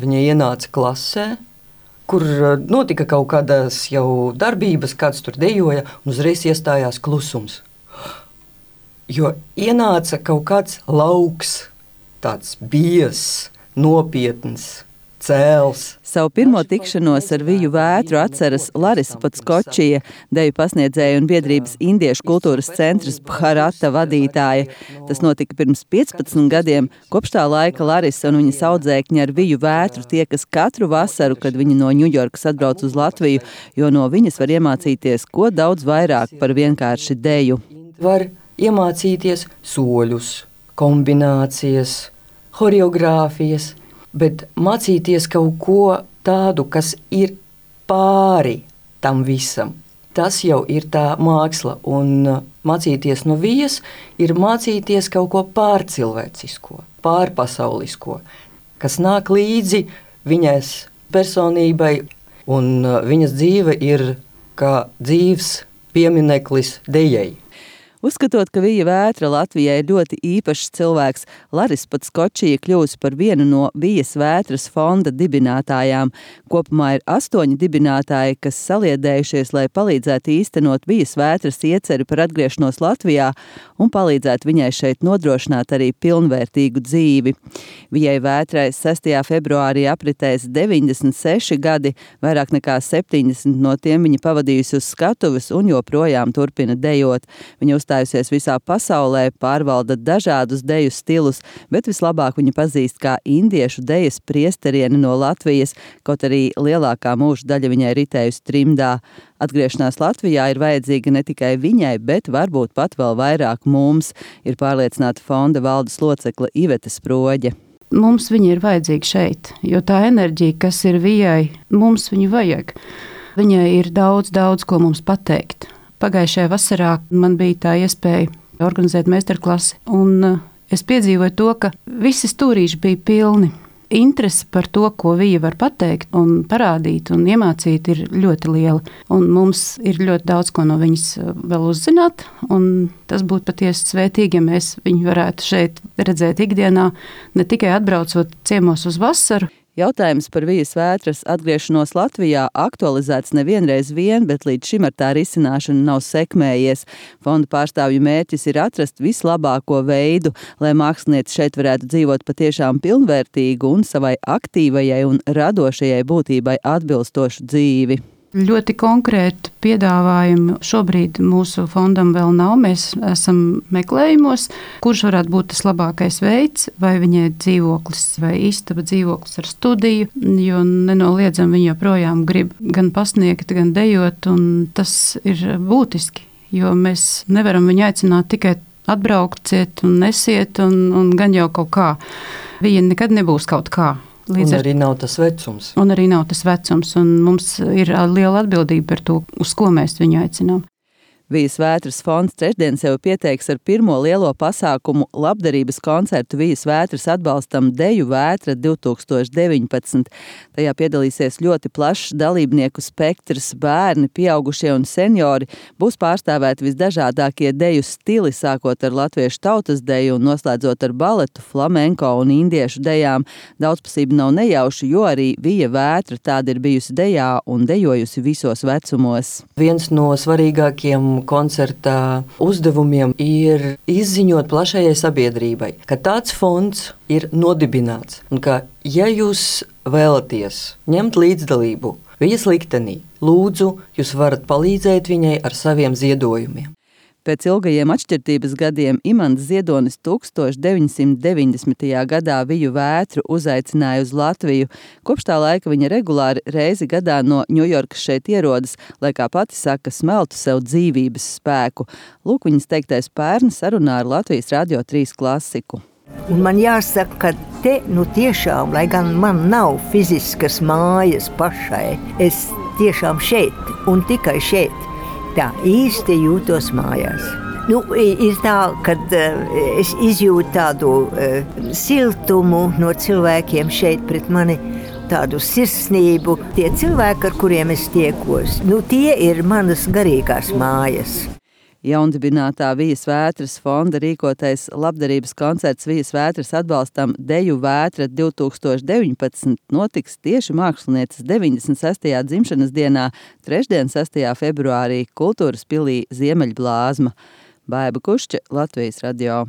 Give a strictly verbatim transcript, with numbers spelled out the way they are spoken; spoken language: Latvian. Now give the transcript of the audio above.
viņa ienāca klasē, kur notika kaut kādas jau darbības, kāds tur dejoja, un uzreiz iestājās klusums. Jo ienāca kaut kāds lauks, tāds biezs, nopietns, cēls. Savu pirmo tikšanos ar Viju Vētru atceras Larisa Podskočija, deju pasniedzēja un biedrības Indiešu kultūras centras Bharata vadītāja. Tas notika pirms piecpadsmit gadiem. Kopš tā laika Larisa un viņas audzēkņi ar Viju Vētru tiekas katru vasaru, kad viņa no Ņujorkas atbrauc uz Latviju, jo no viņas var iemācīties ko daudz vairāk par vienkārši deju. Var iemācīties soļus, kombinācijas, horeogrāfijas, bet mācīties kaut ko tādu, kas ir pāri tam visam. Tas jau ir tā māksla, un mācīties no Vijas ir mācīties kaut ko pārcilvēcisko, pārpasaulisko, kas nāk līdzi viņas personībai, un viņas dzīve ir kā dzīves piemineklis dejai. Uzskatot, ka Vija Vētra Latvijai ir ļoti īpašs cilvēks, Larisa Podskočija kļūsi par vienu no Vijas Vētras fonda dibinātājām. Kopumā ir astoņi dibinātāji, kas saliedējušies, lai palīdzētu īstenot Vijas Vētras ieceri par atgriešanos Latvijā un palīdzētu viņai šeit nodrošināt arī pilnvērtīgu dzīvi. Vijai Vētrai sestajā februārī apritēs deviņdesmit seši gadi, vairāk nekā septiņdesmit no tiem viņa pavadījusi uz skatuves un joprojām turpina dejot. Viņa uzstājusies visā pasaulē, pārvalda dažādus deju stilus, bet vislabāk viņa pazīst kā indiešu dejas priesterieni no Latvijas, kaut arī lielākā mūža daļa viņai ritējusi trimdā. Atgriešanās Latvijā ir vajadzīga ne tikai viņai, bet varbūt pat vēl vairāk mums, ir pārliecināta fonda valdes locekle Ivete Sproģe. Mums viņa ir vajadzīga šeit, jo tā enerģija, kas ir Vijai, mums viņu vajag. Viņai ir daudz, daudz ko mums pateikt. Pagājušajā vasarā man bija tā iespēja organizēt meistarklasi, un es piedzīvoju to, ka visi stūrīši bija pilni. Interese par to, ko Vija var pateikt un parādīt un iemācīt, ir ļoti liela. Un mums ir ļoti daudz ko no viņas vēl uzzināt, un tas būtu patiesi svētīgi, ja mēs viņu varētu šeit redzēt ikdienā, ne tikai atbraucot ciemos uz vasaru. Jautājums par Vijas Vētras atgriešanos Latvijā aktualizēts nevienreiz vien, bet līdz šim ar tā risināšanu nav sekmējies. Fonda pārstāvju mērķis ir atrast vislabāko veidu, lai mākslinieci šeit varētu dzīvot patiešām pilnvērtīgu un savai aktīvajai un radošajai būtībai atbilstošu dzīvi. Ļoti konkrētu piedāvājumu šobrīd mūsu fondam vēl nav. Mēs esam meklējumos, kurš varētu būt tas labākais veids, vai viņai dzīvoklis vai istaba dzīvoklis ar studiju, jo nenoliedzam viņa joprojām grib gan pasniegt, gan dejot, un tas ir būtiski, jo mēs nevaram viņu aicināt tikai atbrauciet un nesiet, un, un gan jau kaut kā. Viņa nekad nebūs kaut kā. Līdz un arī ar... nav tas vecums. Un arī nav tas vecums, un mums ir liela atbildība par to, uz ko mēs viņu aicinām. Vijas Vētras fonds trešdien sev pieteiks ar pirmo lielo pasākumu labdarības koncertu Vijas Vētras atbalstam Deju Vētra divtūkstoš deviņpadsmit. Tajā piedalīsies ļoti plašs dalībnieku spektrs, bērni, pieaugušie un seniori. Būs pārstāvēti visdažādākie deju stili, sākot ar latviešu tautas deju un noslēdzot ar baletu, flamenko un indiešu dejām. Daudzpusība nav nejauša, jo arī Vija Vētra tāda ir bijusi dejā un dejojusi visos vecumos. Viens no svarīgākiem koncerta uzdevumiem ir izziņot plašajai sabiedrībai, ka tāds fonds ir nodibināts un ka, ja jūs vēlaties ņemt līdzdalību Vijas liktenī, lūdzu, jūs varat palīdzēt viņai ar saviem ziedojumiem. Pēc ilgajiem atšķirtības gadiem Imants Ziedonis tūkstoš deviņsimt deviņdesmitajā gadā Viju Vētru uzaicināja uz Latviju. Kopš tā laika viņa regulāri reizi gadā no Ņujorkas šeit ierodas, lai, kā pati saka, smeltu sev dzīvības spēku. Lūk, viņas teiktais pērn sarunā ar Latvijas Radio trīs klasiku. Un man jāsaka, ka te nu tiešām, lai gan man nav fiziskas mājas pašai, es tiešām šeit un tikai šeit. Tā īsti jūtos mājās. Nu, ir tā, kad uh, es izjūtu tādu uh, siltumu no cilvēkiem šeit pret mani, tādu sirsnību. Tie cilvēki, ar kuriem es tiekos, nu, tie ir manas garīgās mājas. Jaundibinātā Vijas Vētras fonda rīkotais labdarības koncerts Vijas Vētras atbalstam Deju Vētra divtūkstoš deviņpadsmit notiks tieši mākslinieces deviņdesmit sestajā dzimšanas dienā, trešdien, sestajā februārī, Kultūras pilī Ziemeļblāzma. Baiba Kušķe, Latvijas radio.